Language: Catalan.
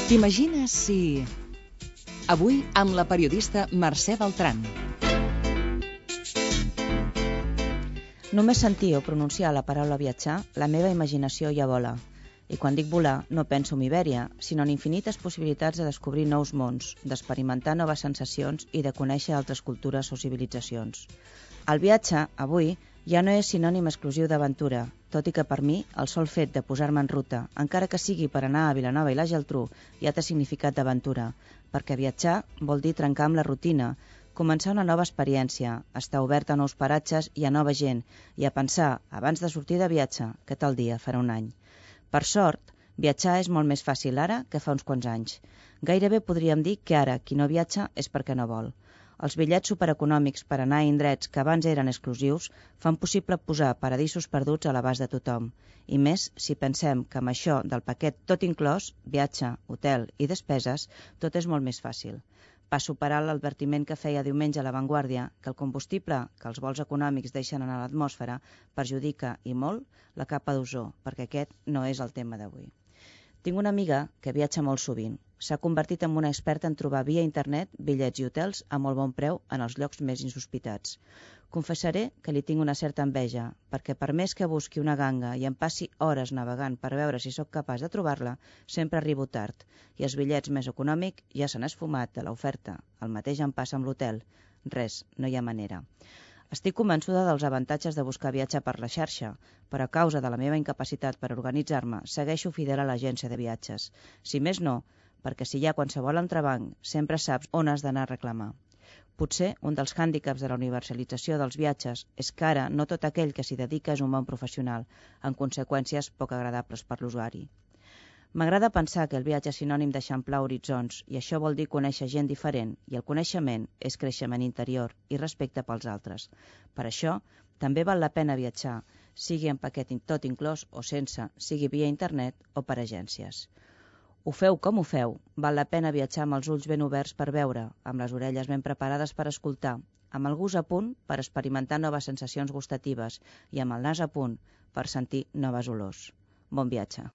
T'imagines si... Avui amb la periodista Mercè Beltran. Només sentir o pronunciar la paraula viatjar, la meva imaginació ja vola. I quan dic volar, no penso en Ibèria, sinó en infinites possibilitats de descobrir nous mons, d'experimentar noves sensacions i de conèixer altres cultures o civilitzacions. El viatge, avui, ja no és sinònim exclusiu d'aventura, tot i que per mi el sol fet de posar-me en ruta, encara que sigui per anar a Vilanova i la Geltrú, ja té significat d'aventura, perquè viatjar vol dir trencar amb la rutina, començar una nova experiència, estar obert a nous paratges i a nova gent, i a pensar, abans de sortir de viatge, que tal dia farà un any. Per sort, viatjar és molt més fàcil ara que fa uns quants anys. Gairebé podríem dir que ara qui no viatja és perquè no vol. Els bitllets supereconòmics per anar a indrets que abans eren exclusius fan possible posar paradisos perduts a l'abast de tothom. I més si pensem que amb això del paquet tot inclòs, viatge, hotel i despeses, tot és molt més fàcil. Passo per alt l'advertiment que feia diumenge a La Vanguardia que el combustible que els vols econòmics deixen a l'atmosfera perjudica i molt la capa d'ozó, perquè aquest no és el tema d'avui. Tinc una amiga que viatja molt sovint. S'ha convertit en una experta en trobar via internet bitllets i hotels a molt bon preu en els llocs més insospitats. Confessaré que li tinc una certa enveja, perquè per més que busqui una ganga i em passi hores navegant per veure si sóc capaç de trobar-la, sempre arribo tard, i els bitllets més econòmics ja s'han esfumat de l'oferta. El mateix em passa amb l'hotel. Res, no hi ha manera. Estic convençuda dels avantatges de buscar viatge per la xarxa, però a causa de la meva incapacitat per organitzar-me, segueixo fidel a l'agència de viatges. Si més no, perquè si hi ha qualsevol entrebanc, sempre saps on has d'anar a reclamar. Potser un dels hàndicaps de la universalització dels viatges és que ara no tot aquell que s'hi dedica és un bon professional, amb conseqüències poc agradables per l'usuari. M'agrada pensar que el viatge és sinònim d'eixamplar horitzons i això vol dir conèixer gent diferent i el coneixement és creixement interior i respecte pels altres. Per això, també val la pena viatjar, sigui en paquet tot inclòs o sense, sigui via internet o per agències. Ho feu com ho feu, val la pena viatjar amb els ulls ben oberts per veure, amb les orelles ben preparades per escoltar, amb el gust a punt per experimentar noves sensacions gustatives i amb el nas a punt per sentir noves olors. Bon viatge.